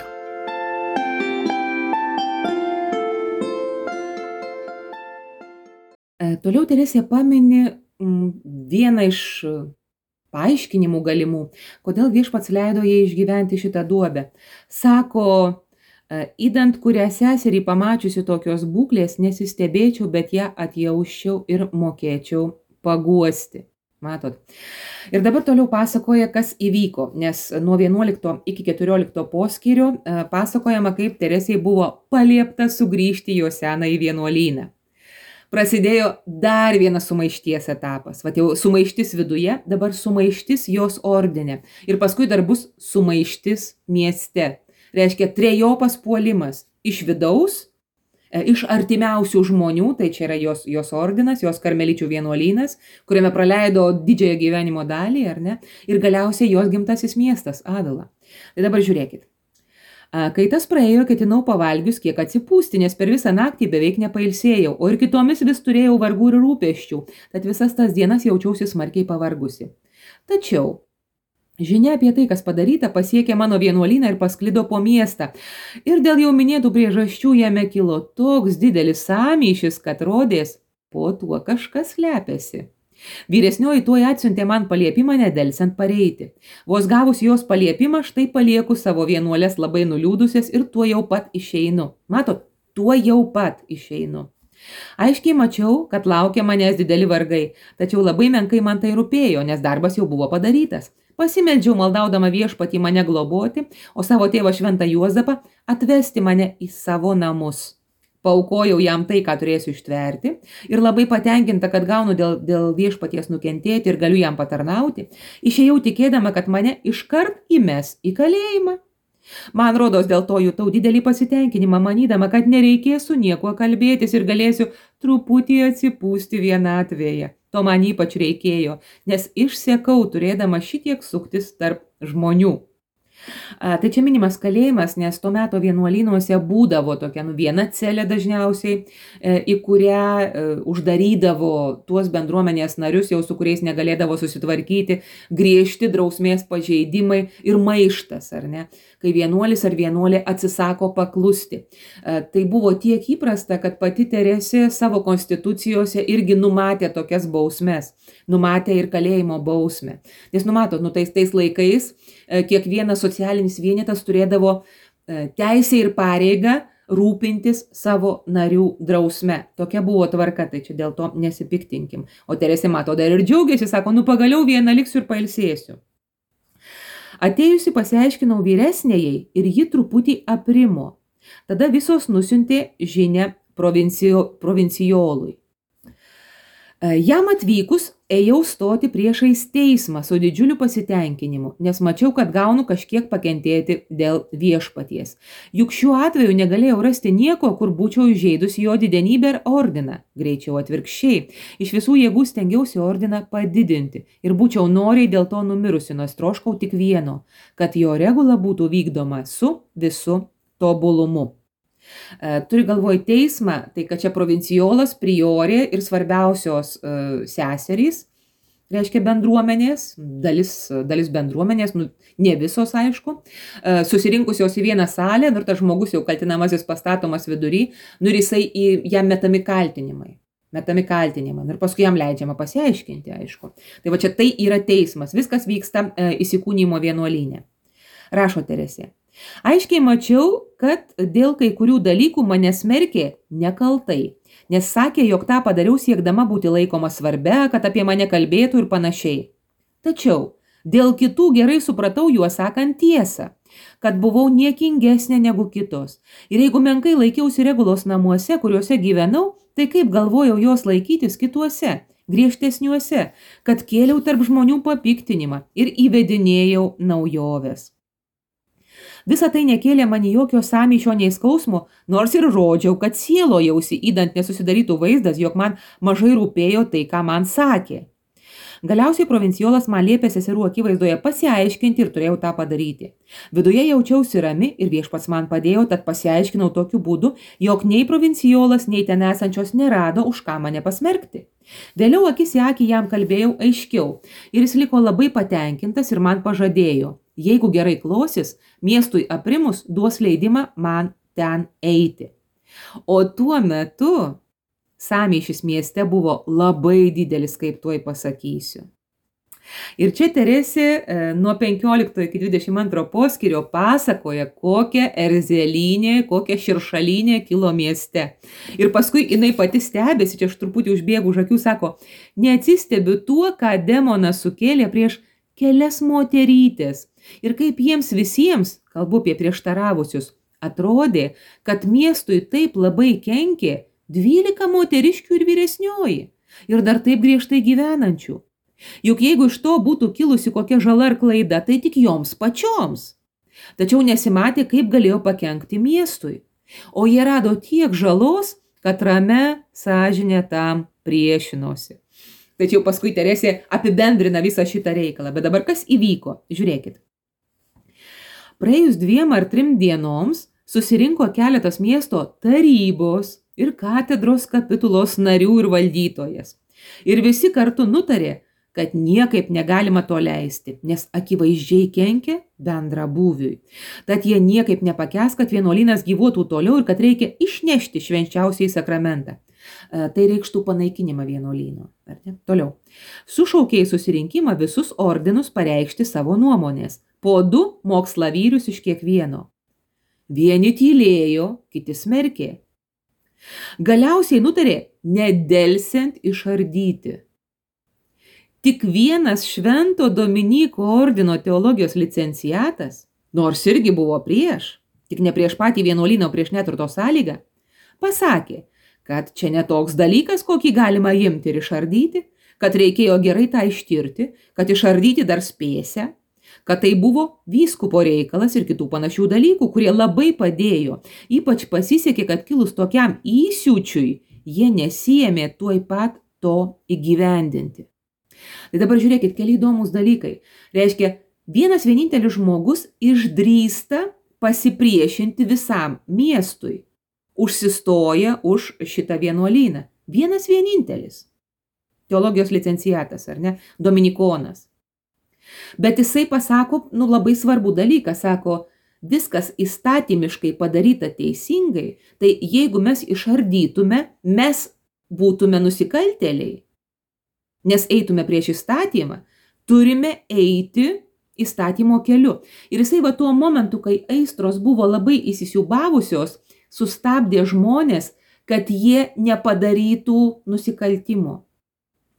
Toliau Teresė pamini vieną iš paaiškinimų galimų, kodėl viešpats leido jai išgyventi šitą duobę. Sako, įdant kurią seserį pamačiusi tokios būklės, nesistebėčiau, bet ją atjausčiau ir mokėčiau paguosti. Matot. Ir dabar toliau pasakoja, kas įvyko, nes nuo vienuolikto iki keturiolikto poskyrio pasakojama, kaip Teresei buvo paliepta sugrįžti į jo senąjį vienuolyną. Prasidėjo dar vienas sumaišties etapas. Vat jau sumaištis viduje, dabar sumaištis jos ordine. Ir paskui dar bus sumaištis mieste. Reiškia trejopas puolimas iš vidaus, iš artimiausių žmonių, tai čia yra jos, jos ordinas, jos karmeličių vienuolynas, kuriame praleido didžiąją gyvenimo dalį, ar ne? Ir galiausiai jos gimtasis miestas, Avila. Tai dabar žiūrėkit. Kai tas praėjo, ketinau pavalgius kiek atsipūsti, nes per visą naktį beveik nepailsėjau, o ir kitomis vis turėjau vargų ir rūpesčių, tad visas tas dienas jaučiausi smarkiai pavargusi. Tačiau žinia apie tai, kas padaryta, pasiekė mano vienuolyną ir pasklido po miestą. Ir dėl jau minėtų priežasčių jame kilo toks didelis sąmyšis, kad rodės, po tuo kažkas slepiasi. Vyresnioji tuoj atsiuntė man paliepimą nedelsiant pareiti. Vos gavus jos paliepimą, štai palieku savo vienuolės labai nuliūdusias ir tuo jau pat išeinu. Matot, tuo jau pat išeinu. Aiškiai mačiau, kad laukia manęs dideli vargai, tačiau labai menkai man tai rūpėjo, nes darbas jau buvo padarytas. Pasimeldžiau maldaudama viešpatį mane globoti, o savo tėvą Šventą Juozapą atvesti mane į savo namus. Paaukojau jam tai, ką turėsiu ištverti, ir labai patenkinta, kad gaunu dėl, dėl viešpaties nukentėti ir galiu jam patarnauti, išėjau tikėdama, kad mane iškart įmes į kalėjimą. Man rodos, dėl to jutau didelį pasitenkinimą, manydama, kad nereikės su niekuo kalbėtis ir galėsiu truputį atsipūsti vienatvėje. To man ypač reikėjo, nes išsekau turėdama šitiek suktis tarp žmonių. Tai čia minimas kalėjimas, nes tuo metu vienuolynuose būdavo tokia nu, viena celė dažniausiai, į kurią uždarydavo tuos bendruomenės narius, jau su kuriais negalėdavo susitvarkyti, griežti drausmės pažeidimai ir maištas, ar ne, kai vienuolis ar vienuolė atsisako paklusti. Tai buvo tiek įprasta, kad pati Teresė savo konstitucijose irgi numatė tokias bausmes, numatė ir kalėjimo bausmę. Nes numatot, nu tais, tais laikais kiekvienas socialinis vienetas turėdavo teisę ir pareigą rūpintis savo narių drausme. Tokia buvo tvarka, tai čia dėl to nesipiktinkim. O Teresė mato dar ir džiaugiasi, sako, nu pagaliau vieną liksiu ir pailsėsiu. Atėjusi pasiaiškinau vyresnėjai ir ji truputį aprimo. Tada visos nusiuntė žinią provincijo, provincijolui. Jam atvykus, ėjau stoti priešais teismą su didžiuliu pasitenkinimu, nes mačiau, kad gaunu kažkiek pakentėti dėl viešpaties. Juk šiuo atveju negalėjau rasti nieko, kur būčiau įžeidusi jo didenybę ir ordiną. Greičiau atvirkščiai. Iš visų jėgų stengiausi ordiną padidinti ir būčiau noriai dėl to numirusi, nors troškau tik vieno, kad jo regula būtų vykdoma su visu tobulumu. Turi galvoj teismą, tai kad čia provincijolas, priorė ir svarbiausios uh, seserys, reiškia bendruomenės, dalis, dalis bendruomenės, nu, ne visos aišku, uh, susirinkusios į vieną salę, ir tas žmogus jau kaltinamasis pastatomas vidury, nu ir jisai į jam metami kaltinimai. metami kaltinimai. Ir paskui jam leidžiama pasiaiškinti, aišku. Tai va čia tai yra teismas. Viskas vyksta e, įsikūnymo vienuolyne. Rašo Teresė. Aiškiai mačiau, kad dėl kai kurių dalykų mane smerkė nekaltai, nes sakė, jog tą padariau siekdama būti laikoma svarbia, kad apie mane kalbėtų ir panašiai. Tačiau dėl kitų gerai supratau juos sakant tiesą, kad buvau niekingesnė negu kitos. Ir jeigu menkai laikiausi regulos namuose, kuriuose gyvenau, tai kaip galvojau jos laikytis kituose, griežtesniuose, kad kėliau tarp žmonių papiktinimą ir įvedinėjau naujoves. Visa tai nekėlė man jokio sąmyšio nei skausmo, nors ir rodžiau, kad sielojausi, įdant nesusidarytų vaizdas, jog man mažai rūpėjo tai, ką man sakė. Galiausiai provinciolas man liepė seserų akivaizdoje pasiaiškinti ir turėjau tą padaryti. Viduje jaučiausi rami ir viešpats man padėjo, tad pasiaiškinau tokiu būdu, jog nei provinciolas, nei ten esančios nerado, už ką mane pasmerkti. Vėliau akis į akį jam kalbėjau aiškiau ir jis liko labai patenkintas ir man pažadėjo, jeigu gerai klosis, miestui aprimus duos leidimą man ten eiti. O tuo metu sąmyšis mieste buvo labai didelis, kaip tuoj pasakysiu. Ir čia Teresė e, nuo penkiolikto iki dvidešimt antro poskyrio pasakoja, kokia erzelynė, kokia širšalynė kilo mieste. Ir paskui jinai pati stebėsi, čia aš truputį užbėgu už akių, sako, neatsistebiu tuo, ką demonas sukėlė prieš kelias moterytės. Ir kaip jiems visiems, kalbu apie prieštaravusius, atrodė, kad miestui taip labai kenkė dvylika moteriškių ir vyresnioji, ir dar taip griežtai gyvenančių. Juk jeigu iš to būtų kilusi kokia žala ar klaida, tai tik joms pačioms. Tačiau nesimatė, kaip galėjo pakenkti miestui. O jie rado tiek žalos, kad rame sąžinė tam priešinosi. Tačiau paskui Teresė apibendrina visą šitą reikalą. Bet dabar kas įvyko? Žiūrėkit. Praėjus dviem ar trim dienoms susirinko keletas miesto tarybos ir katedros kapitulos narių ir valdytojas. Ir visi kartu nutarė, kad niekaip negalima to leisti, nes akivaizdžiai kenkia bendrabūviui. Tad jie niekaip nepakęs, kad vienuolynas gyvuotų toliau ir kad reikia išnešti švenčiausiai sakramentą. E, tai reikštų panaikinimą vienuolyno. Toliau. Sušaukė į susirinkimą visus ordinus pareikšti savo nuomonės. Po du mokslavyrus iš kiekvieno. Vieni tylėjo, kiti smerkė. Galiausiai nutarė nedelsiant išardyti. Tik vienas Švento Dominyko ordino teologijos licenciatas, nors irgi buvo prieš, tik ne prieš patį vienuolyną, prieš neturto sąlygą, pasakė, kad čia netoks dalykas, kokį galima imti ir išardyti, kad reikėjo gerai tą ištirti, kad išardyti dar spėsia, kad tai buvo vyskupo reikalas ir kitų panašių dalykų, kurie labai padėjo. Ypač pasisekė, kad kilus tokiam įsiūčiui, jie nesiėmė tuoj pat to įgyvendinti. Tai dabar žiūrėkit, keli įdomus dalykai. Reiškia, vienas vienintelis žmogus išdrįsta pasipriešinti visam miestui. Užsistoja už šitą vienuolyną. Vienas vienintelis. Teologijos licenciatas, ar ne? Dominikonas. Bet jisai pasako, nu, labai svarbų dalyką, sako, viskas įstatymiškai padaryta teisingai, tai jeigu mes išardytume, mes būtume nusikaltėliai. Nes eitume prieš įstatymą, turime eiti įstatymo keliu. Ir jisai va tuo momentu, kai aistros buvo labai įsisiūbavusios, sustabdė žmonės, kad jie nepadarytų nusikaltimo.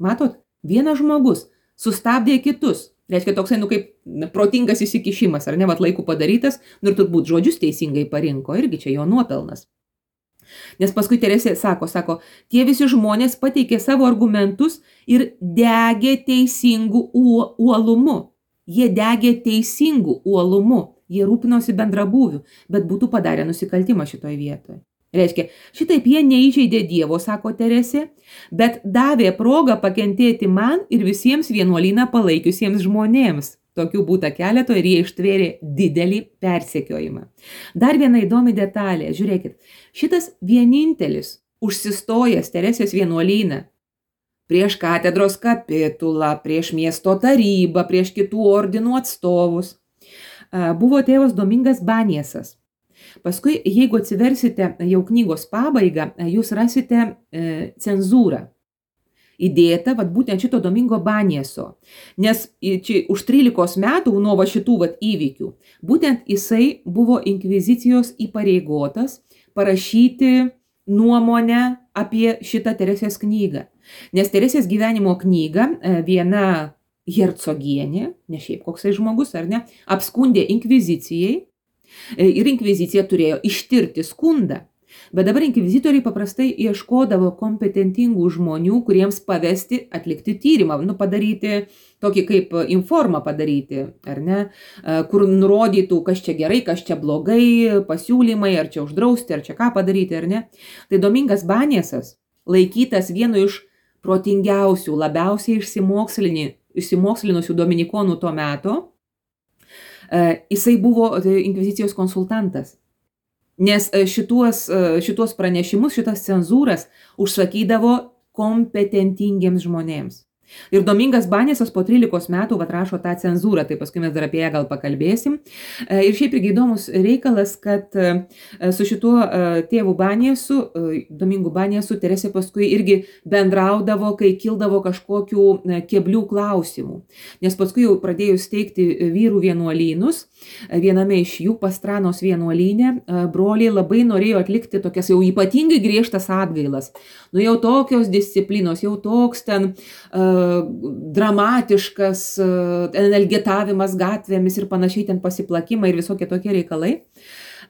Matot, vienas žmogus sustabdė kitus. Reiškia, toksai, nu, kaip protingas įsikišimas, ar ne, vat laikų padarytas, nu ir turbūt žodžius teisingai parinko, irgi čia jo nuopelnas. Nes paskui Teresė sako, sako, tie visi žmonės pateikė savo argumentus ir degė teisingų uolumu. Jie degė teisingų uolumu, jie rūpinosi bendrabūviu, bet būtų padarę nusikaltimą šitoj vietoje. Reiškia, šitaip jie neįžeidė Dievo, sako Teresė, bet davė progą pakentėti man ir visiems vienuolyną palaikiusiems žmonėms. Tokių būta keleto ir jie ištvėrė didelį persekiojimą. Dar viena įdomi detalė, žiūrėkit, šitas vienintelis užsistojęs Teresės vienuolyną prieš katedros kapitulą, prieš miesto tarybą, prieš kitų ordinų atstovus, buvo tėvas Domingas Baniesas. Paskui, jeigu atsiversite jau knygos pabaigą, jūs rasite e, cenzūrą įdėta vat, būtent šito Domingo Banieso. Nes čia už trylikos metų nuo va šitų vat, įvykių, būtent jisai buvo inkvizicijos įpareigotas parašyti nuomonę apie šitą Teresės knygą. Nes Teresės gyvenimo knyga viena hercogienė, ne šiaip koksai žmogus, ar ne, apskundė inkvizicijai ir inkvizicija turėjo ištirti skundą. Bet dabar inkvizitoriai paprastai ieškodavo kompetentingų žmonių, kuriems pavesti atlikti tyrimą, nu, padaryti tokį kaip informą padaryti, ar ne, kur nurodytų, kas čia gerai, kas čia blogai, pasiūlymai, ar čia uždrausti, ar čia ką padaryti, ar ne. Tai Domingas Baniesas, laikytas vienu iš protingiausių, labiausiai išsimokslinusių dominikonų to meto, jisai buvo inkvizicijos konsultantas. Nes šituos, šituos pranešimus, šitas cenzūras užsakydavo kompetentingiems žmonėms. Ir Domingas Baniesas po trylikos metų atrašo tą cenzūrą, tai paskui mes dar apie ją gal pakalbėsim. Ir šiaip irgi įdomus reikalas, kad su šituo tėvu Baniesu, Domingu Baniesu, Teresė paskui irgi bendraudavo, kai kildavo kažkokių keblių klausimų. Nes paskui jau pradėjus steigti vyrų vienuolynus, viename iš jų Pastranos vienuolyne, broliai labai norėjo atlikti tokias jau ypatingai griežtas atgailas. Nu jau tokios disciplinos, jau toks ten uh, dramatiškas uh, elgetavimas gatvėmis ir panašiai ten pasiplakimai ir visokie tokie reikalai.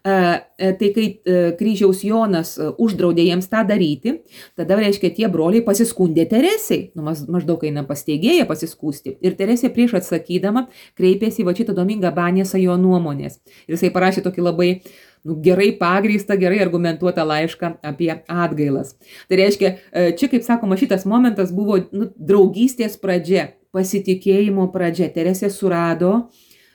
Uh, tai kai uh, kryžiaus Jonas uh, uždraudė jiems tą daryti, tada, reiškia, tie broliai pasiskundė Teresei, nu, maždaug eina pas teigėją pasiskūsti. Ir Teresė prieš atsakydama kreipėsi va šitą Domingą Baniesą jo nuomonės. Ir jisai parašė tokį labai nu, gerai pagrįstą, gerai argumentuotą laišką apie atgailas. Tai reiškia, čia, kaip sakoma, šitas momentas buvo nu, draugystės pradžia, pasitikėjimo pradžia. Teresė surado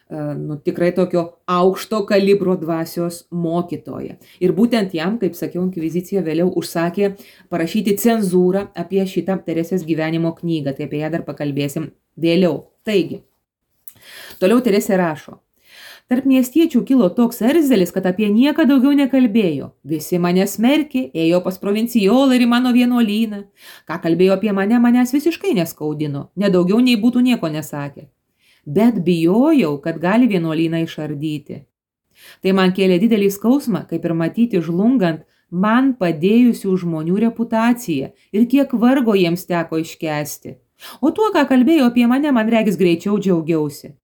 nu, tikrai tokio aukšto kalibro dvasios mokytoją. Ir būtent jam, kaip sakiau, inkvizicija vėliau užsakė parašyti cenzūrą apie šitą Teresės gyvenimo knygą. Tai apie ją dar pakalbėsim vėliau. Taigi, toliau Teresė rašo. Tarp miestiečių kilo toks erzelis, kad apie nieką daugiau nekalbėjo. Visi mane smerkė, ėjo pas provincijolą ir į mano vienuolyną. Ką kalbėjo apie mane, manęs visiškai neskaudino, nedaugiau nei būtų nieko nesakę. Bet bijojau, kad gali vienuolyną išardyti. Tai man kėlė didelį skausmą, kaip ir matyti žlungant man padėjusių žmonių reputaciją ir kiek vargo jiems teko iškęsti. O tuo, ką kalbėjo apie mane, man regis greičiau džiaugiausi.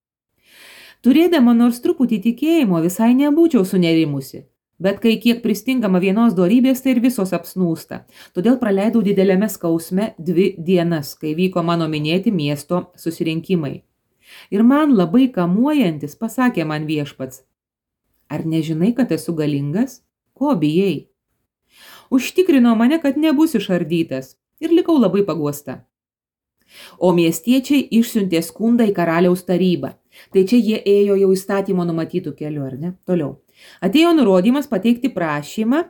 Turėdama nors truputį tikėjimo visai nebūčiau sunerimusi, bet kai kiek pristingama vienos dorybės, tai ir visos apsnūsta. Todėl praleidau dideliame skausme dvi dienas, kai vyko mano minėti miesto susirinkimai. Ir man labai kamuojantis pasakė man viešpats, ar nežinai, kad esu galingas? Ko bijai? Užtikrino mane, kad nebus išardytas ir likau labai paguosta. O miestiečiai išsiuntė skundą į karaliaus tarybą. Tai čia jie ėjo jau įstatymo numatytų keliu, ar ne? Toliau. Atėjo nurodymas pateikti prašymą,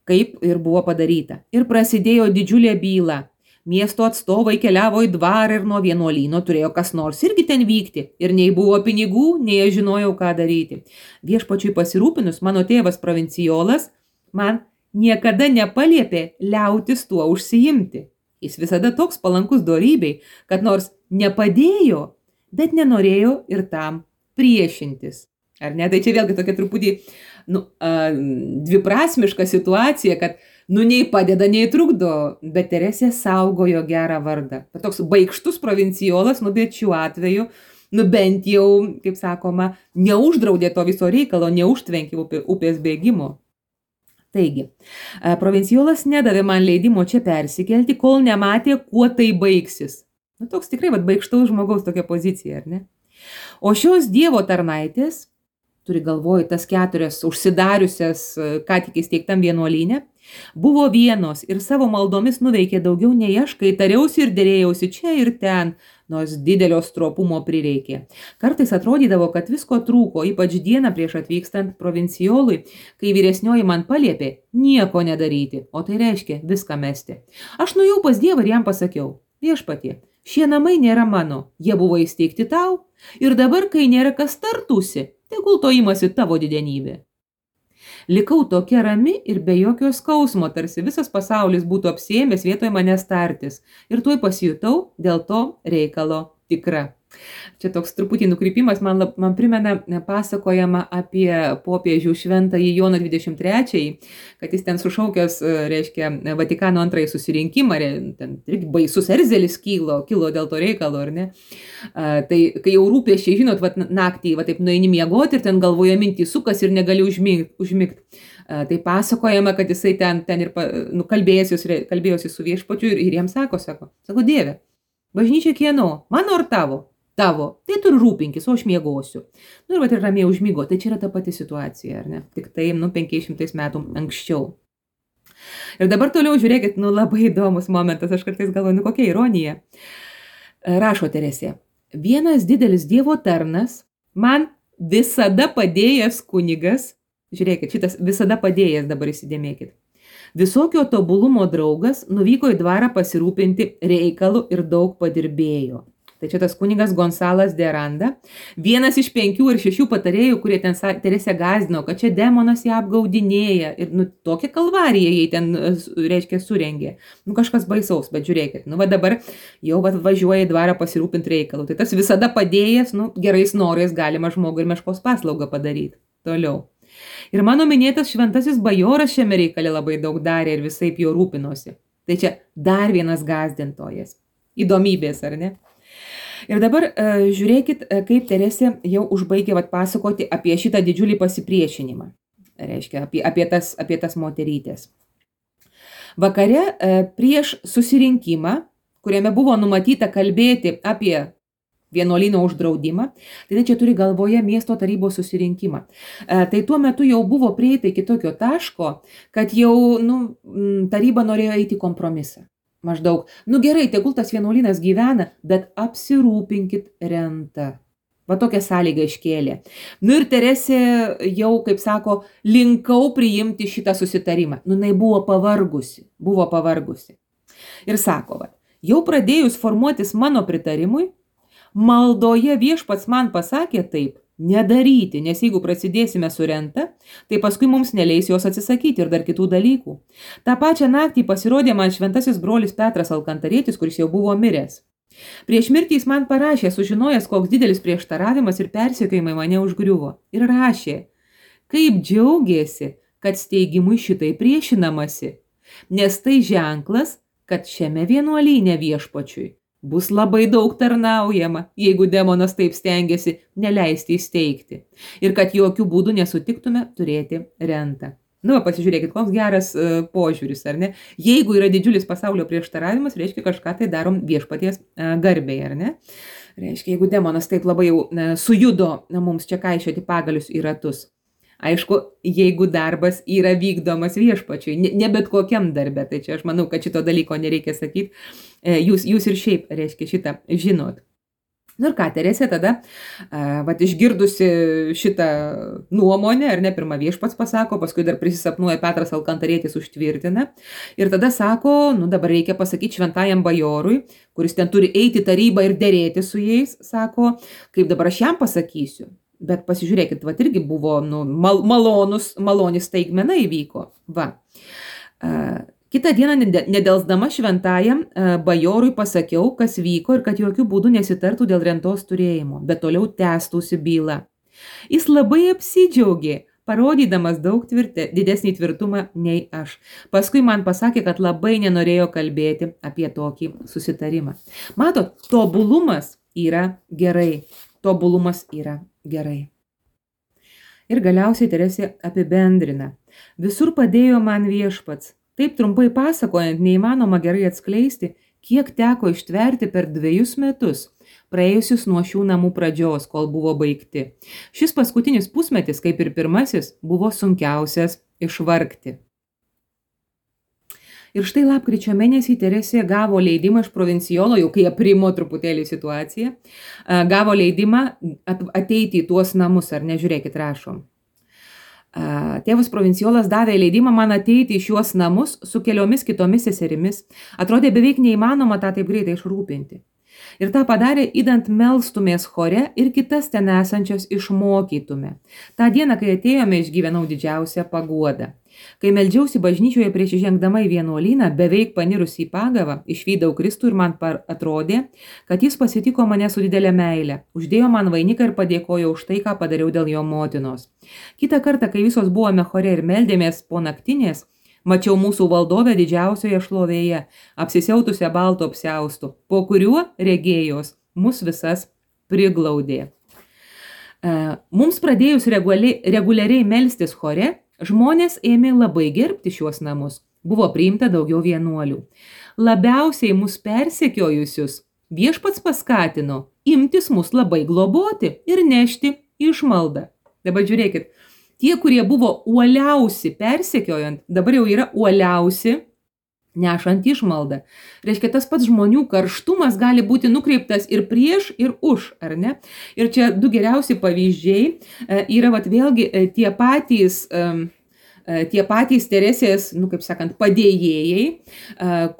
kaip ir buvo padaryta. Ir prasidėjo didžiulė byla. Miesto atstovai keliavo į dvarą ir nuo vienuolyno turėjo kas nors irgi ten vykti. Ir nei buvo pinigų, nei aš žinojau, ką daryti. Viešpačiui pasirūpinus, mano tėvas provincijolas man niekada nepaliepė liautis tuo užsiimti. Jis visada toks palankus dorybei, kad nors nepadėjo, bet nenorėjo ir tam priešintis. Ar ne? Tai čia vėlgi tokia truputį nu, a, dviprasmiška situacija, kad nu nei padeda, nei trukdo, bet Teresė saugojo gerą vardą. Bet toks baikštus provincijolas, nu bet šiuo atveju, nu bent jau, kaip sakoma, neuždraudė to viso reikalo, neužtvenkė upė, upės bėgimo. Taigi, provincijolas nedavė man leidimo čia persikelti, kol nematė, kuo tai baigsis. Nu, toks tikrai vat, baikštaus žmogaus tokia pozicija, ar ne? O šios Dievo tarnaitės, turi galvoj tas keturias užsidariusias, ką tik įsteigtam vienuolyne, buvo vienos ir savo maldomis nuveikė daugiau nei aš, kai tariausi ir dėrėjausi čia ir ten, nors didelio stropumo prireikė. Kartais atrodydavo, kad visko trūko, ypač dieną prieš atvykstant provincijolui, kai vyresnioji man paliepė nieko nedaryti, o tai reiškia viską mesti. Aš nuėjau pas Dievą ir jam pasakiau, viešpatie, šie namai nėra mano, jie buvo įsteigti tau ir dabar, kai nėra kas tartųsi, tegul to imasi tavo didenybė. Likau tokia rami ir be jokio skausmo, tarsi visas pasaulis būtų apsiėmęs vietoj manęs tartis. Ir tuoj pasijutau dėl to reikalo tikra. Čia toks truputį nukrypimas, man, lab, man primena pasakojama apie popiežių šventąjį Joną dvidešimt trečiąjį, kad jis ten sušaukęs, reiškia, Vatikano antrąjį susirinkimą, ten irgi baisus erzelis kilo, kilo dėl to reikalo, ar ne? A, tai kai jau rūpesčiai, žinot, vat, naktį, va taip nueini miegoti ir ten galvoje mintys sukas ir negali užmigt. užmigt. A, tai pasakojama, kad jisai ten, ten ir nu, kalbėjosi, kalbėjosi su viešpačiu ir, ir jiems sako, sako, sako, Dieve, bažnyčia kieno, mano ar tavo? Tavo, tai tu rūpinkis, o aš miegosiu. Nu ir va, ir ramiai užmigo, tai čia yra ta pati situacija, ar ne? Tik tai, nu, penkiais šimtais metų anksčiau. Ir dabar toliau žiūrėkit, nu, labai įdomus momentas, aš kartais galvoju, nu, kokia ironija. Rašo Teresė, vienas didelis Dievo tarnas, man visada padėjęs kunigas, žiūrėkit, šitas visada padėjęs, dabar įsidėmėkit, visokio tobulumo draugas nuvyko į dvarą pasirūpinti reikalu ir daug padirbėjo. Tai čia tas kunigas Gonsalas de Aranda, vienas iš penkių ir šešių patarėjų, kurie ten Teresę gąsdino, kad čia demonas ją apgaudinėja ir nu, tokią kalvariją jai ten, reiškia, surengė. Nu kažkas baisaus, bet žiūrėkit, nu va dabar jau va, važiuoja į dvarą pasirūpinti reikalu. Tai tas visada padėjęs, nu gerais norais galima žmogui ir meškos paslaugą padaryti. Toliau. Ir mano minėtas šventasis bajoras šiame reikale labai daug darė ir visaip jo rūpinosi. Tai čia dar vienas gąsdintojas. Įdomybės, ar ne? Ir dabar uh, žiūrėkit, uh, kaip Teresė jau užbaigė vat, pasakoti apie šitą didžiulį pasipriešinimą. Reiškia, apie, apie, tas, apie tas moterytės. Vakare uh, prieš susirinkimą, kuriame buvo numatyta kalbėti apie vienuolyno uždraudimą, tai čia turi galvoje miesto tarybos susirinkimą. Uh, tai tuo metu jau buvo prieita iki tokio taško, kad jau nu, taryba norėjo eiti kompromisą. Maždaug, nu gerai, tegul tas vienuolynas gyvena, bet apsirūpinkit rentą. Va tokią sąlygą iškėlė. Nu ir Teresė jau, kaip sako, linkau priimti šitą susitarimą. Nu, jinai buvo pavargusi, buvo pavargusi. Ir sako, va, jau pradėjus formuotis mano pritarimui, maldoje viešpats man pasakė taip, nedaryti, nes jeigu prasidėsime su renta, tai paskui mums neleis jos atsisakyti ir dar kitų dalykų. Ta pačią naktį pasirodė man šventasis brolis Petras Alkantarietis, kuris jau buvo miręs. Prieš mirtį jis man parašė, sužinojęs, koks didelis prieštaravimas ir persekiojimai mane užgriuvo. Ir rašė, kaip džiaugiasi, kad steigimui šitai priešinamasi, nes tai ženklas, kad šiame vienuolyne viešpačiui bus labai daug tarnaujama, jeigu demonas taip stengiasi neleisti įsteigti. Ir kad jokių būdų nesutiktume turėti rentą. Nu, pasižiūrėkit, koks geras uh, požiūris, ar ne? Jeigu yra didžiulis pasaulio prieštaravimas, reiškia kažką tai darom viešpaties uh, garbei, ar ne? Reiškia, jeigu demonas taip labai jau uh, sujudo uh, mums čia kaišioti pagalius į ratus. Aišku, jeigu darbas yra vykdomas viešpačiui, ne, ne bet kokiam darbe, tai čia aš manau, kad šito dalyko nereikia sakyti, jūs, jūs ir šiaip, reiškia, šitą žinot. Nu ir ką, Teresė tada, vat išgirdusi šitą nuomonę, ar ne, pirmą viešpats pasako, paskui dar prisisapnuoja Petras Alkantarietis užtvirtina, ir tada sako, nu dabar reikia pasakyti šventajam bajorui, kuris ten turi eiti tarybą ir dėrėti su jais, sako, kaip dabar aš jam pasakysiu. Bet pasižiūrėkit, va irgi buvo nu, mal, malonus, malonis staigmena įvyko. Va. Uh, kitą dieną nedelsdama šventajam uh, bajorui pasakiau, kas vyko ir kad jokių būdų nesitartų dėl rentos turėjimo, bet toliau tęstųsi byla. Jis labai apsidžiaugė, parodydamas daug tvirte, didesnį tvirtumą nei aš. Paskui man pasakė, kad labai nenorėjo kalbėti apie tokį susitarimą. Matot, tobulumas yra gerai. Tobulumas yra gerai. Ir galiausiai Teresė apibendrina. Visur padėjo man viešpats. Taip trumpai pasakojant, neįmanoma gerai atskleisti, kiek teko ištverti per dviejus metus, praėjusius nuo šių namų pradžios, kol buvo baigti. Šis paskutinis pusmetis, kaip ir pirmasis, buvo sunkiausias išvargti. Ir štai lapkričio mėnesį Teresė gavo leidimą iš provincijolo, jau kai aprimo truputėlį situaciją, gavo leidimą ateiti į tuos namus, ar nežiūrėkit, rašom. Tėvas provincijolas davė leidimą man ateiti į šiuos namus su keliomis kitomis seserimis. Atrodė beveik neįmanoma tą taip greitai išrūpinti. Ir tą padarė, įdant melstumės chore ir kitas ten esančias išmokytume. Ta dieną, kai atėjome, išgyvenau didžiausią paguodą. Kai meldžiausi bažnyčioje prieš įžengdama į vienuolyną, beveik panirusį į pagavą, išvydau Kristų ir man atrodė, kad jis pasitiko mane su didelė meile, uždėjo man vainiką ir padėkojo už tai, ką padariau dėl jo motinos. Kitą kartą, kai visos buvome chore ir meldėmės po naktinės, mačiau mūsų valdovę didžiausioje šlovėje, apsisiautusią balto apsiaustu, po kuriuo regėjos mus visas priglaudė. Mums pradėjus reguliariai, reguliariai melstis chore, žmonės ėmė labai gerbti šiuos namus. Buvo priimta daugiau vienuolių. Labiausiai mus persekiojusius viešpats paskatino imtis mus labai globoti ir nešti išmaldą. Dabar žiūrėkit, tie, kurie buvo uoliausi persekiojant, dabar jau yra uoliausi nešant išmaldą. Reiškia, tas pats žmonių karštumas gali būti nukreiptas ir prieš, ir už, ar ne? Ir čia du geriausi pavyzdžiai yra vat vėlgi tie patys, tie patys Teresės, nu kaip sakant, padėjėjai,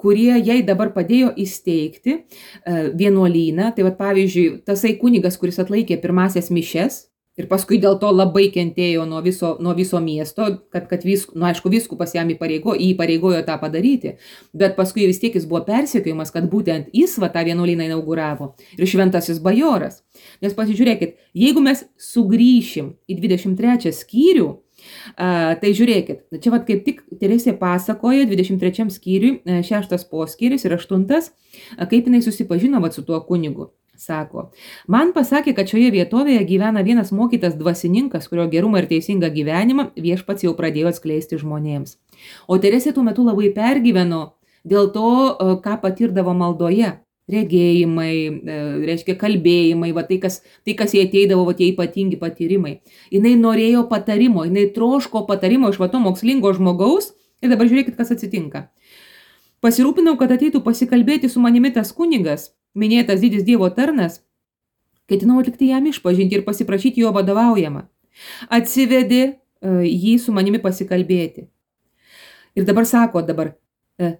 kurie jai dabar padėjo įsteigti vienuolyną. Tai vat pavyzdžiui, tasai kunigas, kuris atlaikė pirmasias mišes, ir paskui dėl to labai kentėjo nuo viso, nuo viso miesto, kad, kad vis, nu, aišku, vyskupas jam įpareigo, įpareigojo tą padaryti, bet paskui vis tiek jis buvo persekiojimas, kad būtent jis va tą vienuolyną inauguravo ir šventasis bajoras. Nes pasižiūrėkit, jeigu mes sugrįšim į dvidešimt trečią skyrių, a, tai žiūrėkit, čia va kaip tik Teresė pasakoja dvidešimt trečiam skyriui, šeštas poskyris ir aštuntas, kaip jinai susipažino va su tuo kunigu. Sako, man pasakė, kad šioje vietovėje gyvena vienas mokytas dvasininkas, kurio gerumą ir teisingą gyvenimą viešpats jau pradėjo atskleisti žmonėms. O Teresė tuo metu labai pergyveno dėl to, ką patirdavo maldoje. Regėjimai, reiškia kalbėjimai, va tai, kas, tai, kas jai ateidavo, va tie ypatingi patyrimai. Jinai norėjo patarimo, jinai troško patarimo iš va to mokslingo žmogaus ir dabar žiūrėkit, kas atsitinka. Pasirūpinau, kad ateitų pasikalbėti su manimi tas kunigas, minėtas didis Dievo tarnas, ketinau atlikti jam išpažinti ir pasiprašyti jo vadovaujamą. Atsivedė uh, jį su manimi pasikalbėti. Ir dabar sako, dabar, uh,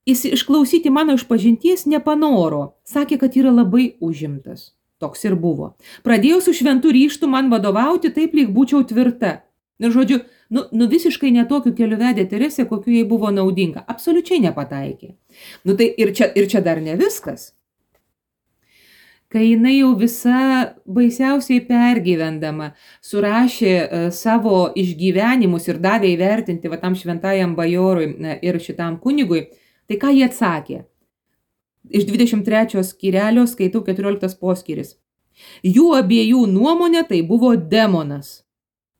jis išklausyti mano išpažinties nepanoro, sakė, kad yra labai užimtas. Toks ir buvo. Pradėjau su šventu ryžtu man vadovauti, taip lyg būčiau tvirta. Ir žodžiu, nu, nu visiškai netokiu keliu vedė Teresė, kokiu jai buvo naudinga. Absoliučiai nepataikė. Nu tai ir čia, ir čia dar ne viskas. Kai jinai jau visa baisiausiai pergyvendama surašė uh, savo išgyvenimus ir davė įvertinti va tam šventajam bajorui uh, ir šitam kunigui, tai ką jie atsakė? Iš dvidešimt trečio skyrelio skaitau keturioliktas poskyris. Jų abiejų nuomonė tai buvo demonas.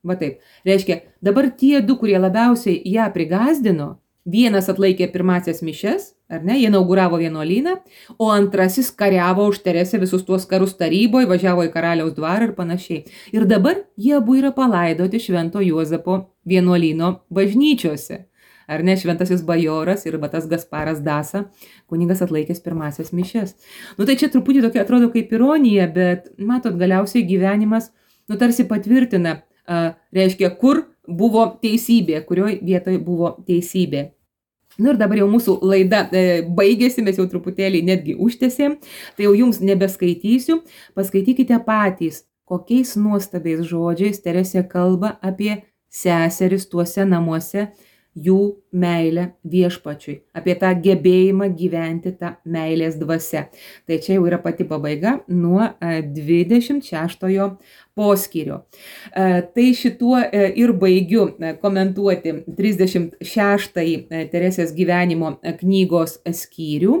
Va taip, reiškia, dabar tie du, kurie labiausiai ją prigazdino, vienas atlaikė pirmasias mišes, ar ne, jie inauguravo vienuolyną, o antrasis kariavo už Teresę visus tuos karus taryboje, važiavo į karaliaus dvarą ir panašiai. Ir dabar jie abu yra palaidoti Švento Juozapo vienuolyno bažnyčiose. Ar ne, šventasis bajoras ir tas Gasparas Dasa, kunigas atlaikęs pirmasias mišes. Nu tai čia truputį tokia atrodo kaip ironija, bet matot, galiausiai gyvenimas, nu tarsi patvirtina, a, reiškia, kur buvo teisybė, kurioj vietoj buvo teisybė. Nu ir dabar jau mūsų laida e, baigėsi, mes jau truputėlį netgi užtęsėm, tai jau jums nebeskaitysiu, paskaitykite patys, kokiais nuostabiais žodžiais Teresė kalba apie seseris tuose namuose, jų meilę viešpačiui, apie tą gebėjimą gyventi tą meilės dvasia. Tai čia jau yra pati pabaiga nuo dvidešimt šeštojo poskyrio. Tai šituo ir baigiu komentuoti trisdešimt šeštąjį Teresės gyvenimo knygos skyrių.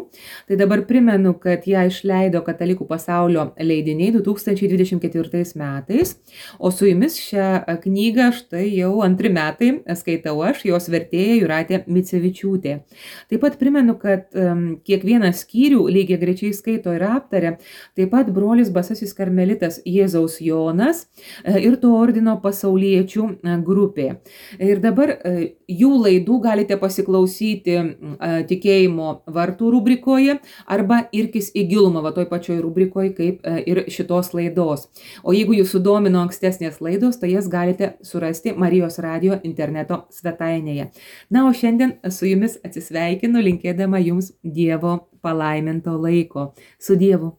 Tai dabar primenu, kad ją išleido Katalikų pasaulio leidiniai du tūkstančiai dvidešimt ketvirtais metais, o su jumis šią knygą štai jau antri metai skaitau aš, jos vertėja Jūratė Micevičiūtė. Taip pat primenu, kad um, kiekvieną skyrių lygiai grečiai skaito ir aptarė, taip pat brolis Basasis karmelitas Jėzaus Jonas ir to ordino pasauliečių grupė. Ir dabar jų laidų galite pasiklausyti tikėjimo vartų rubrikoje arba irkis į gilumą, va toj pačioj rubrikoje kaip ir šitos laidos. O jeigu jūs sudomino ankstesnės laidos, tai jas galite surasti Marijos radijo interneto svetainėje. Na, o šiandien su jumis atsisveikinu, linkėdama jums Dievo palaiminto laiko. Su Dievu.